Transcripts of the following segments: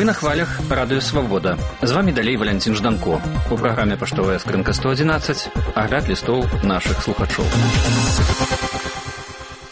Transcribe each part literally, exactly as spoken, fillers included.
на хвалях радыё «Свабода». З вамі далей Валянцін Жданко. У праграме «Паштовая скрынка сто адзінаццаць» агляд лістоў нашых слухачоў.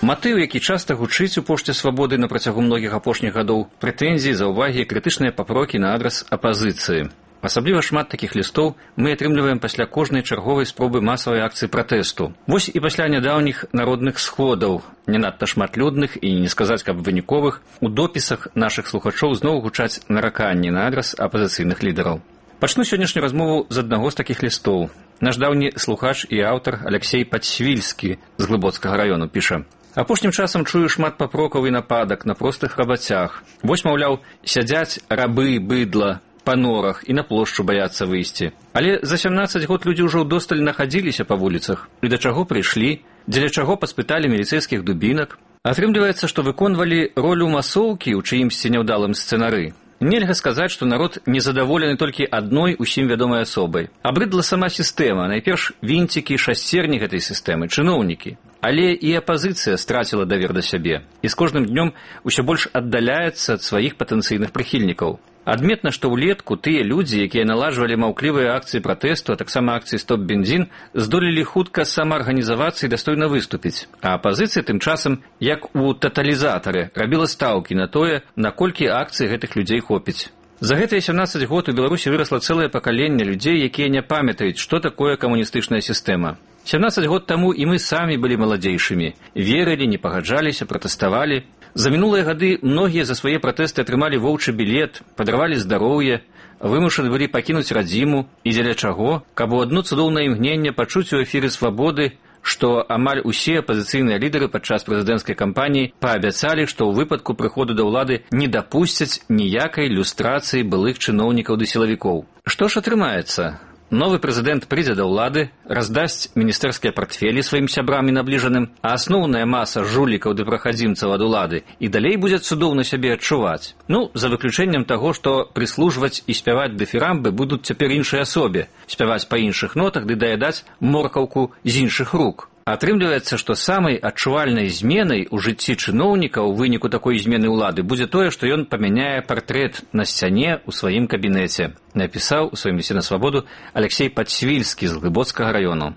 Матыў, які часта гучыць у пошце «Свабоды» на працягу многіх апошніх гадоў, прэтэнзіі, заўвагі і крытычныя папрокі на адрас апазіцыі. Асабліва шмат такіх лістоў мы атрымліваем пасля кожнай чарговай спробы масавай акцыі пратэсту. Вось і пасля нядаўніх народных сходаў, не надта шматлюдных і не сказаць, каб выніковых, у допісах нашых слухачоў зноў гучаць нараканні на адрас апазіцыйных лідараў. Пачну сённяшнюю размову з аднаго з такіх лістоў. Наш даўні слухач і аўтар Алексей Падсвільскі з Глыбоцкага раёну піша: апошнім часам чую шмат папрокаў і нападак на простых рабацях. Вось, маўляў, сядзяць рабы, быдла па норах і на плошчу баяцца выйсці. Але за сямнаццаць год людзі ўжо ўдосталь нахадзіліся па вуліцах. І да чаго прыйшлі, дзеля чаго паспыталі міліцэйскіх дубінак. Атрымліваецца, што выконвалі ролю масоўкі ў чыімсьці няўдалым сцэнары. Нельга сказаць, што народ незадаволены толькі адной усім вядомай асобай. Абрыдла сама сістэма, найперш вінцікі, шасцерні гэтай сістэмы, чыноўнікі. Але і апазіцыя страціла давер да сябе, і з кожным днём усё больш аддаляецца ад сваіх патэнцыйных прыхільнікаў. Адметна, што ўлетку тыя людзі, якія наладжвалі маўклівыя акцыі пратэсту, а таксама акцыі «Стоп-бензін», здолелі хутка самаарганізавацца і дастойна выступіць. А апазіцыя тым часам, як у таталізатары, рабіла стаўкі на тое, наколькі акцый гэтых людзей хопіць. За гэтыя сямнаццаць год у Беларусі вырасла цэлае пакаленне людзей, якія не памятаюць, што такое камуністычная сістэма. сямнаццаць год таму і мы самі былі маладзейшымі, верылі, не пагаджаліся, пратэставалі. За мінулыя гады многія за свае пратэсты атрымалі воўчы білет, падарвалі здароўе, вымушаны былі пакінуць радзіму, і дзеля чаго, каб у адно цудоўнае імгненне пачуць у эфіры «Свабоды», што амаль усе апазіцыйныя лідары падчас прэзідэнцкай кампаніі паабяцалі, што ў выпадку прыходу да ўлады не дапусцяць ніякай люстрацыі былых чыноўнікаў ды сілавікоў. Што ж атрымаецца? Новы прэзідэнт прыйдзе да ўлады, раздасць міністэрскія партфелі сваім сябрам і набліжаным, а асноўная маса жулікаў ды прахадзімцаў ад улады і далей будзе цудоўна сябе адчуваць. Ну, за выключэннем таго, што прыслужваць і спяваць дыфірамбы будуць цяпер іншай асобе, спяваць па іншых нотах ды даядаць моркаўку з іншых рук. Атрымліваецца, што самай адчувальнай зменай у жыцці чыноўніка ў выніку такой змены ўлады будзе тое, што ён памяняе партрэт на сцяне ў сваім кабінеце, напісаў у сваім лісце на «Свабоду» Алексей Падсвільскі з Глыбоцкага раёну.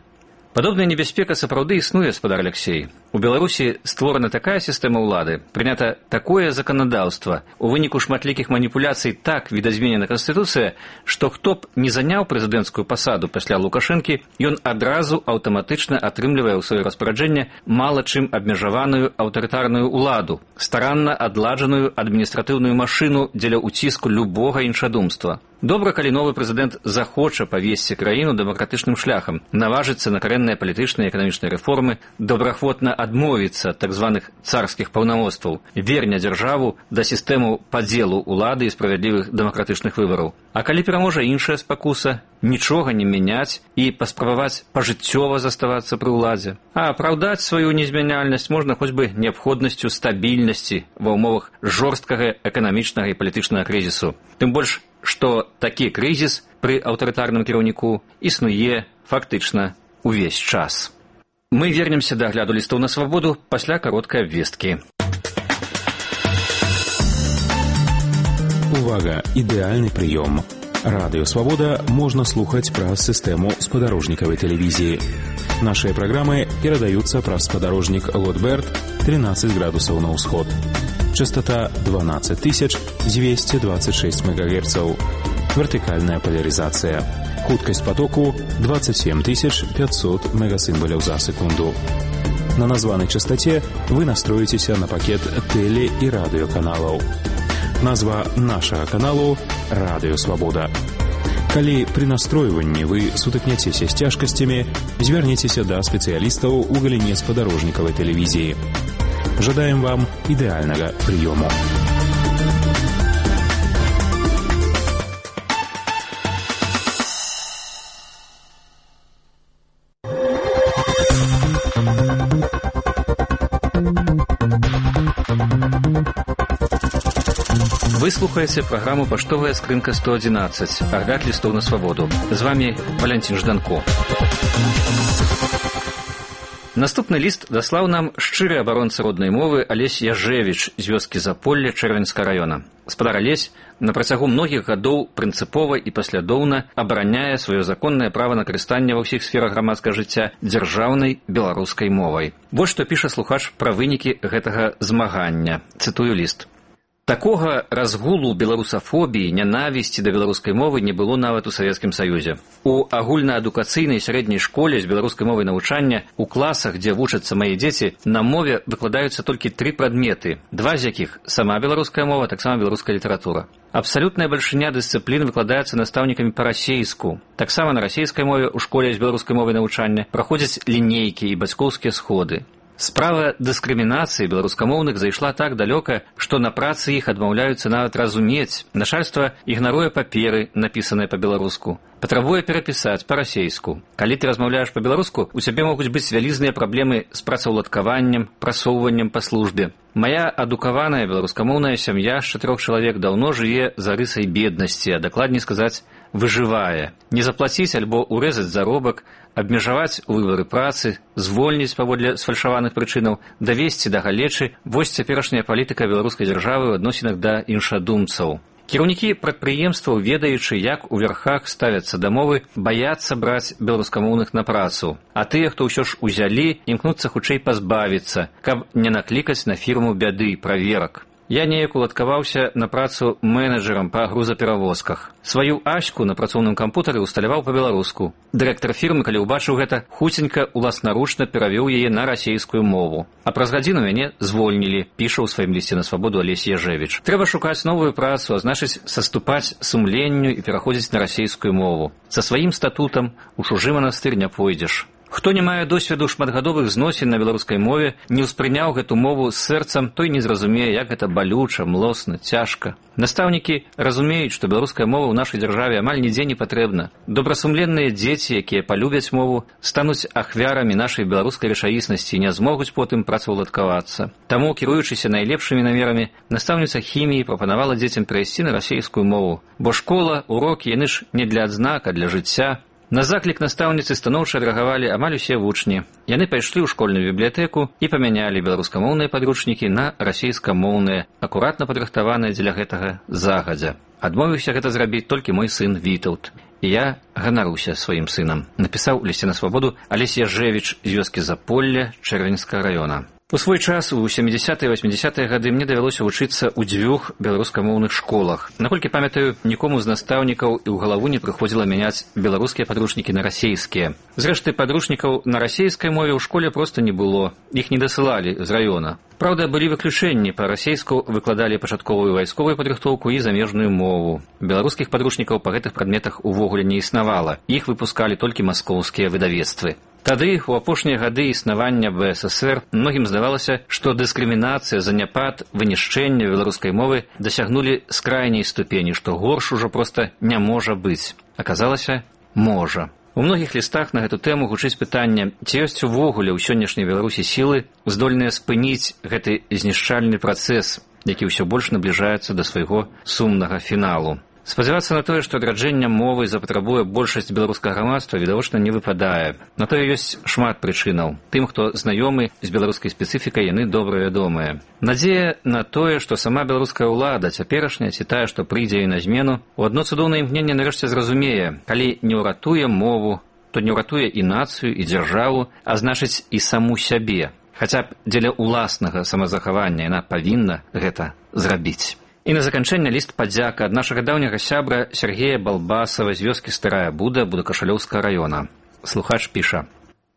Падобная небяспека сапраўды існуе, спадар Алексей. У Беларусі створана такая сістэма ўлады, прынята такое заканадаўства, у выніку шматлікіх маніпуляцый так відазменена Канстытуцыя, што хто б не заняў прэзідэнцкую пасаду пасля Лукашэнкі, ён адразу аўтаматычна атрымлівае ў сваё распараджэнне мала чым абмежаваную аўтарытарную ўладу, старанна адладжаную адміністратыўную машыну дзеля ўціску любога іншадумства. Добра, калі новы прэзідэнт захоча павесці краіну дэмакратычным шляхам, наважыцца на карэнныя палітычныя і эканамічныя рэформы, добраахвотна адмовіцца ад так званых царскіх паўнамоцтваў, верне дзяржаву да сістэму падзелу ўлады і справядлівых дэмакратычных выбараў. А калі пераможа іншая спакуса, нічога не мяняць і паспрабаваць пажыццёва заставацца пры ўладзе. А апраўдаць сваю незмяняльнасць можна хоць бы неабходнасцю стабільнасці ва ўмовах жорсткага эканамічнага і палітычнага крызісу. Тым больш, што такі крызіс пры аўтарытарным кіраўніку існуе фактычна увесь час. Мы вернемся да агляду лістоў на «Свабоду» пасля кароткай абвесткі. Увага! Ідэальны прыём. Радыё «Свабода» можна слухаць праз сістэму спадарожнікавай тэлевізіі. Нашыя праграмы перадаюцца праз спадарожнік Лотберт тринадцать градусаў на ўсход. Частота дванадцать тысяч двести двадцать шесть мегагерцаў. Вертикальная поляризация. Хуткость потоку двадцать семь тысяч пятьсот мегасимволяў за секунду. На названной частоте вы настроитесь на пакет теле- и радиоканалаў. Назва нашага каналу «Радыё Свабода». Калі пры настройванні вы сутыкняцеся з цяжкасцямі, звярніцеся да спецыялістаў у галіне спадарожнікавай тэлевізіі. Жадаем вам ідэальнага прыёму. Вы слухаеце праграму «Паштовая скрынка сто адзінаццаць», агляд лістоў на «Свабоду». З вамі Валянцін Жданко. Наступны ліст даслаў нам шчыры абаронца роднай мовы Алесь Яжевіч з вёскі Заполле Чэрвеньскага раёна. Спадар Алесь на працягу многіх гадоў прынцыпова і паслядоўна абараняе сваё законнае права на карыстанне ва ўсіх сферах грамадскага жыцця дзяржаўнай беларускай мовай. Вось што піша слухач пра вынікі гэтага змагання. Цытую ліст. Такога разгулу беларусафобіі, нянавісці да беларускай мовы не было нават у Савецкім Саюзе. У агульнаадукацыйнай сярэдняй школе з беларускай мовай навучання у класах, дзе вучацца мае дзеці, на мове выкладаюцца толькі тры прадметы, два з якіх сама беларуская мова, таксама беларуская літаратура. Абсалютная бальшыня дысцыплін выкладаецца настаўнікамі па-расейску. Таксама на расейскай мове ў школе з беларускай мовай навучання праходзяць лінейкі і бацькоўскія сходы. Справа дыскрымінацыі беларускамоўных зайшла так далёка, што на працы іх адмаўляюцца нават разумець. Начальства ігнаруе паперы, напісаныя па-беларуску. Патрабуе перапісаць па-расейску. Калі ты размаўляеш па-беларуску, у цябе могуць быць вялізныя праблемы з працаўладкаваннем, прасоўваннем па службе. Мая адукаваная беларускамоўная сям'я з чатырох чалавек даўно жыве за рысай беднасці, а дакладней сказаць, выжывае. Не заплаціць альбо урэзаць заробак, абмежаваць выбары працы, звольніць паводле сфальшаваных прычынаў, давесці да галечы – вось цяперашняя палітыка беларускай дзяржавы ў адносінах да іншадумцаў. Кіраўнікі прадпрыемстваў, ведаючы, як у верхах ставяцца да мовы, баяцца браць беларускамоўных на працу. А тыя, хто ўсё ж узялі, імкнуцца хутчэй пазбавіцца, каб не наклікаць на фірму бяды, праверак. Я неяк уладкаваўся на працу менеджерам па грузаперавозках. Сваю Аську на працоўным кампутары ўсталяваў па-беларуску. Дырэктар фірмы, калі ўбачыў гэта, хуценька уласнаручна перавёў яе на расейскую мову. А праз гадзіну мяне звольнілі, піша ў сваім лісце на свабоду Алесь Яжевіч. Трэба шукаць новую працу, а значыць саступаць сумленню і пераходзіць на расейскую мову. Са сваім статутам у чужы манастыр не пойдзеш. Хто не мае досведу шматгадовых зносін на беларускай мове, не ўспрыняў гэту мову з сэрцам, той не зразумее, як гэта балюча, млосна, цяжка. Настаўнікі разумеюць, што беларуская мова ў нашай дзяржаве амаль нідзе не патрэбна. Добрасумленныя дзеці, якія палюбяць мову, стануць ахвярамі нашай беларускай рэчаіснасці і не змогуць потым працаўладкавацца. Таму, кіруючыся найлепшымі намерамі, настаўніца хіміі прапанавала дзецям перайсці на расейскую мову. Бо школа, урокі, яны ж не для адзнак, а для жыцця. На заклік настаўніцы станоўча адрэагавалі амаль усе вучні. Яны пайшлі ў школьную бібліятэку і памянялі беларускамоўныя падручнікі на расейскамоўныя, акуратна падрыхтаваныя дзеля гэтага загадзя. Адмовіўся гэта зрабіць толькі мой сын Вітаўт. І я ганаруся сваім сынам, напісаў у лісце на свабоду Алесь Яжевіч з вёскі Заполле Чэрвеньскага раёна. У свой час, у сямідзясятыя і васьмідзясятыя гады, мне давялося вучыцца ў дзвюх беларускамоўных школах. Наколькі памятаю, нікому з настаўнікаў і ў галаву не прыходзіла мяняць беларускія падручнікі на расейскія. Зрэшты, падручнікаў на расейскай мове ў школе проста не было. Іх не дасылалі з раёна. Праўда, былі выключэнні. Па-расейску выкладалі пачатковую вайсковую падрыхтоўку і замежную мову. Беларускіх падручнікаў па гэтых прадметах увогуле не існавала. Іх выпускалі толькі маскоўскія выдавецтвы. Тады, у апошнія гады існавання бэ эс эсэр, многім здавалася, што дыскрымінацыя, заняпад, вынішчэнне беларускай мовы дасягнулі скрайняй ступені, што горш ужо проста не можа быць. Аказалася, можа. У многіх лістах на гэту тэму гучыць пытанне, ці ёсць увогуле ў сённяшняй Беларусі сілы, здольныя спыніць гэты знішчальны працэс, які ўсё больш набліжаецца да свайго сумнага фіналу. Спадзявацца на тое, што адраджэння мовы запатрабуе большасць беларускага грамадства, відавочна не выпадае. На тое ёсць шмат прычынаў. Тым, хто знаёмы з беларускай спецыфікай, яны добра вядомыя. Надзея на тое, што сама беларуская ўлада, цяперашняя, ці тая, што прыйдзе і на змену, у адно цудоўнае імкненне нарэшце зразумее, калі не ўратуе мову, то не ўратуе і нацыю, і дзяржаву, а значыць і саму сябе. Хаця б дзеля ўласнага самазахавання яна павінна гэта зрабіць. І на заканчэнне ліст падзяка ад нашага даўняга сябра Сергея Балбасава з вёскі Старая Буда Будакашалёўскага раёна. Слухач піша.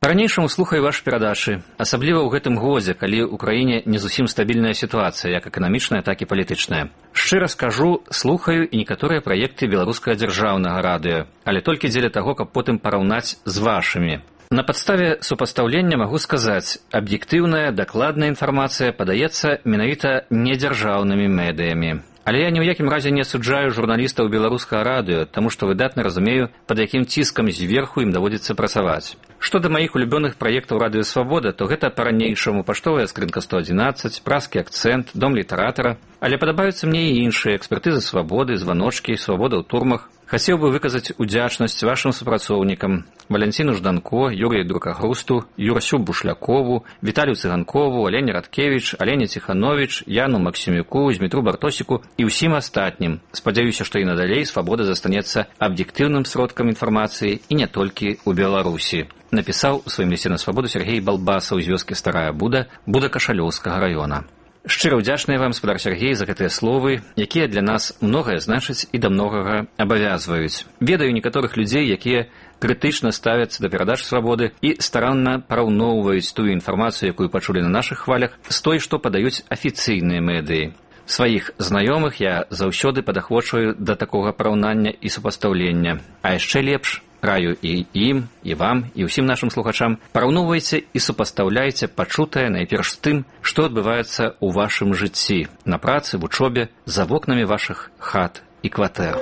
Па-ранейшаму слухаю вашы перадачы, асабліва ў гэтым годзе, калі ў краіне не зусім стабільная сітуацыя, як эканамічная, так і палітычная. Шчыра скажу, слухаю і некаторыя праекты беларускага дзяржаўнага радыё, але толькі дзеля таго, каб потым параўнаць з вашымі. На падставе супастаўлення магу сказаць, аб'ектыўная, дакладная інфармацыя падаецца менавіта недзяржаўнымі медыямі. Але я ні ў якім разе не асуджаю журналістаў беларускага радыё, таму што выдатна разумею, пад якім ціскам зверху ім даводзіцца працаваць. Што да маіх улюбёных праектаў радыё Свабода, то гэта па-ранейшаму паштовая скрынка сто адзінаццаць, празкі акцэнт, дом літаратара. Але падабаюцца мне і іншыя экспертызы Свабоды, званочкі, Свабода ў турмах. Хацеў бы выказаць удзячнасць вашым супрацоўнікам Валянціну Жданко, Юрію Друкагрусту, Юрасю Бушлякову, Віталію Цыганкову, Алене Радкевіч, Алене Ціхановіч, Яну Максімюку, Змітру Бартосіку і ўсім астатнім. Спадзяюся, што і надалей свабода застанецца аб'ектыўным сродкам інфармацыі і не толькі ў Беларусі. Напісаў у сваім лісце на свабоду Сергей Балбасаў з вёскі Старая Буда, Буда Кашалёўскага раёна. Шчыра ўдзячныя вам, спадар Сергей, за гэтыя словы, якія для нас многае значаць і да многага абавязваюць. Ведаю некаторых людзей, якія крытычна ставяцца да перадаж свабоды і старанна параўноўваюць тую інфармацыю, якую пачулі на нашых хвалях, з той, што падаюць афіцыйныя медыі. Сваіх знаёмых я заўсёды падахвочваю да такога параўнання і супастаўлення. А яшчэ лепш, раю і ім, і вам, і ўсім нашым слухачам, параўноўвайце і супастаўляйце пачутае найперш з тым, што адбываецца ў вашым жыцці, на працы, вучобе, за вокнамі вашых хат і кватэр.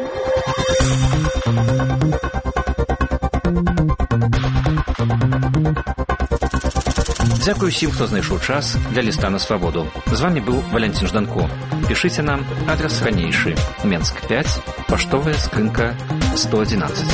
Дзякую ўсім, хто знайшоў час для ліста на свабоду. З вами быў Валянцін Жданко. Пішыце нам, адрес ранейшы. Менск пяць, паштовая скрынка сто адзінаццаць.